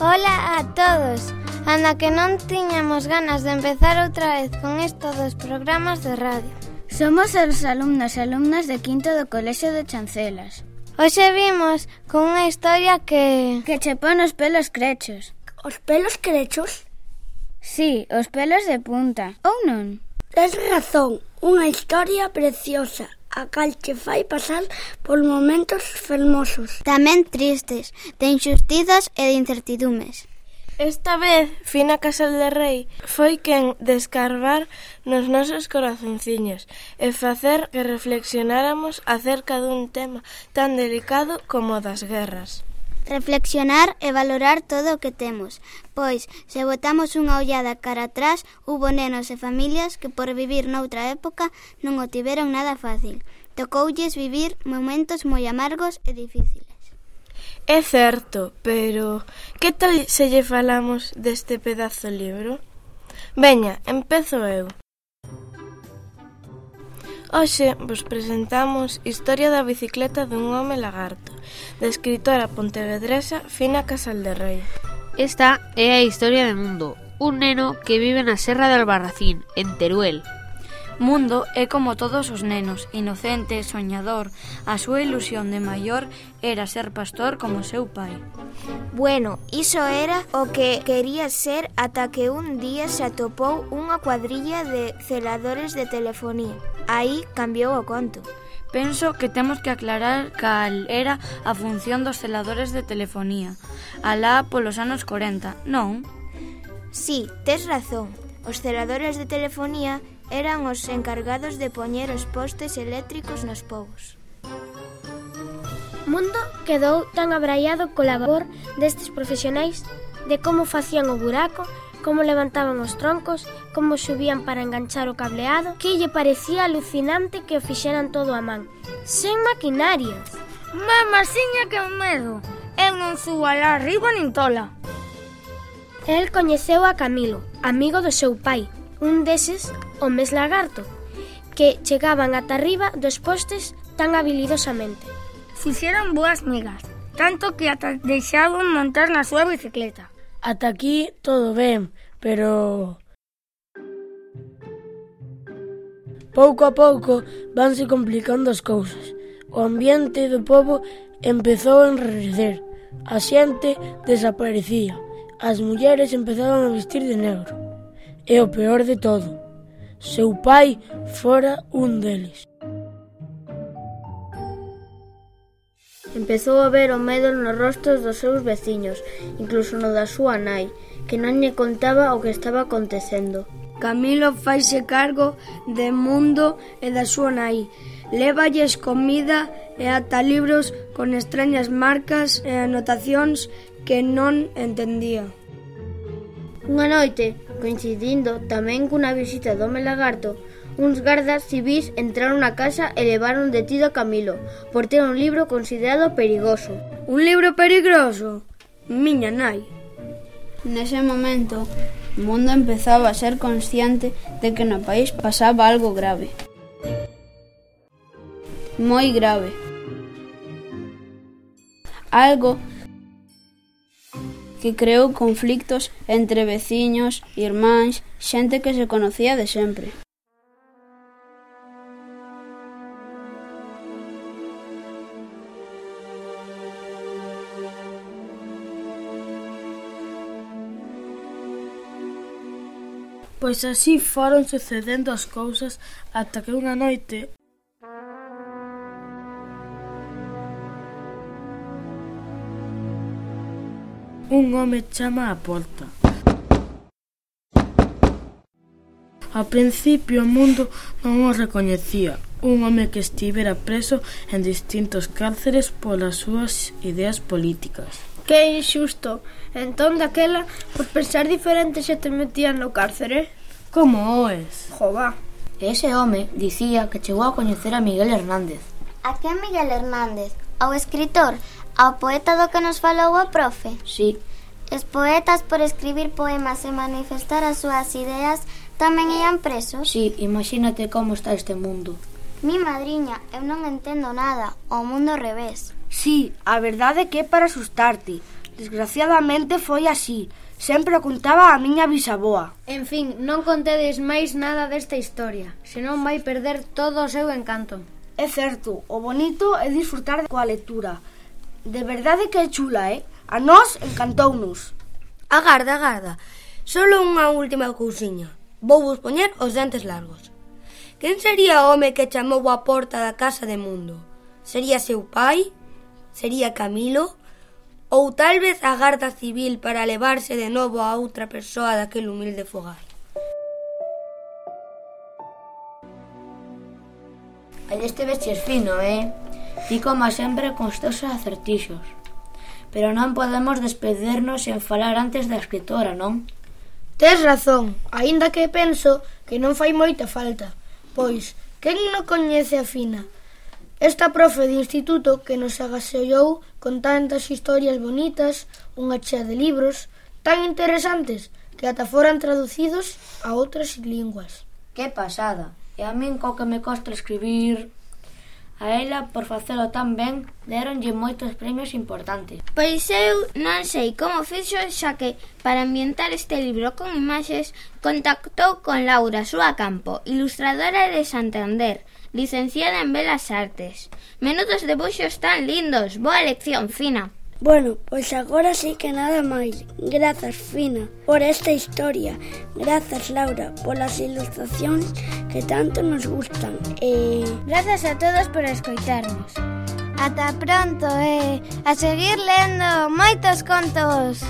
Ola a todos. Anda que non tiñamos ganas de empezar outra vez con isto dos programas de radio. Somos os alumnos e alumnas de quinto do Colexio de Chancelas. Hoxe vimos con unha historia que che pon os pelos crechos. Os pelos crechos? Sí, os pelos de punta, ou non? Tes razón, unha historia preciosa, a cal che fai pasar por momentos fermosos. Tamén tristes, de injustizas e de incertidumes. Esta vez, Fina Casal de Rei foi quen de escarbar nos nosos corazonciños e facer que reflexionáramos acerca dun tema tan delicado como o das guerras. Reflexionar e valorar todo o que temos, pois, se botamos unha ollada cara atrás, hubo nenos e familias que por vivir noutra época non o tiveron nada fácil. Tocoulles vivir momentos moi amargos e difíciles. É certo, pero que tal se lle falamos deste pedazo libro? Veña, empezo eu. Hoxe vos presentamos Historia da bicicleta dun home lagarto, da escritora pontevedresa Fina Casal de Rei. Esta é a historia de Mundo, un neno que vive na Serra de Albarracín, en Teruel. Mundo é como todos os nenos, inocente, soñador. A súa ilusión de maior era ser pastor como seu pai. Bueno, iso era o que quería ser ata que un día se atopou unha cuadrilla de celadores de telefonía. Aí cambiou o conto. Penso que temos que aclarar cal era a función dos celadores de telefonía. Alá polos anos 40, non? Sí, tes razón. Os celadores de telefonía eran os encargados de poñer os postes eléctricos nos pobos. Mundo quedou tan abraiado co labor destes profesionais de como facían o buraco, como levantaban os troncos, como subían para enganchar o cableado, que lle parecía alucinante que o fixeran todo a man, sen maquinaria. Mamasiña, que medo! Eu non subo alá arriba nin tola. El coñeceu a Camilo, amigo do seu pai, un deses homes lagarto, que chegaban ata arriba dos postes tan habilidosamente. Fixeron boas migas, tanto que ata deixaban montar na súa bicicleta. Ata aquí todo ben, pero pouco a pouco vanse complicando as cousas. O ambiente do pobo empezou a enrarecer, a xente desaparecía, as mulleres empezaban a vestir de negro. E o peor de todo, seu pai fora un deles. Empezou a ver o medo nos rostros dos seus veciños, incluso no da súa nai, que non lle contaba o que estaba acontecendo. Camilo faise cargo de Mundo e da súa nai. Lévalles comida e ata libros con extrañas marcas e anotacións que non entendía. Unha noite, coincidindo tamén cunha visita do home lagarto, uns gardas civís entraron na casa e levaron detido a Camilo por ter un libro considerado perigoso. Un libro perigoso? Miña nai. Nese momento, Mundo empezaba a ser consciente de que no país pasaba algo grave. Moi grave. Algo que creou conflictos entre veciños, irmáns, xente que se conocía de sempre. Pois así foron sucedendo as cousas ata que unha noite un home chama á porta. A principio o Mundo non o recoñecía, un home que estivera preso en distintos cárceres polas súas ideas políticas. Que injusto. Entón, daquela, por pensar diferente se te metían no cárcere? Como oes? Jova. Ese home dicía que chegou a coñecer a Miguel Hernández. A que Miguel Hernández? Ao escritor? Ao poeta do que nos falou o profe? Sí. Os poetas, por escribir poemas e manifestar as súas ideas, tamén ian presos? Sí, imagínate como está este mundo. Mi madriña, eu non entendo nada, o mundo ao revés. Sí, a verdade é que é para asustarte. Desgraciadamente foi así. Sempre o contaba a miña bisaboa. En fin, non contedes máis nada desta historia, senón vai perder todo o seu encanto. É certo, o bonito é disfrutar coa lectura. De verdade que é chula, A nós encantounos. Agarda. Solo unha última cousiña. Vou vos poñer os dentes largos. Quen sería o home que chamou á porta da casa de Mundo? Sería seu pai? Sería Camilo? Ou tal vez a Garda Civil para levarse de novo a outra persoa daquele humilde fogar? Aí este veches fino, Ti como sempre con os teus acertixos. Pero non podemos despedirnos sen falar antes da escritora, non? Tes razón, aínda que penso que non fai moita falta. Pois, quen non coñece a Fina? Esta profe de instituto que nos agaseou con tantas historias bonitas, unha chea de libros tan interesantes que ata foran traducidos a outras linguas. Que pasada! E a min co que me costa escribir... A ela, por facelo tan ben, deronlle moitos premios importantes. Pois eu non sei como fixo, xa que para ambientar este libro con imaxes contactou con Laura Súa Campo, ilustradora de Santander, licenciada en Belas Artes. Menudos debuxos tan lindos, boa lección, Fina. Bueno, pois agora sí que nada máis. Grazas, Fina, por esta historia. Grazas, Laura, polas ilustracións que tanto nos gustan. Grazas a todos por escoitarnos. Ata pronto, a seguir lendo moitos contos.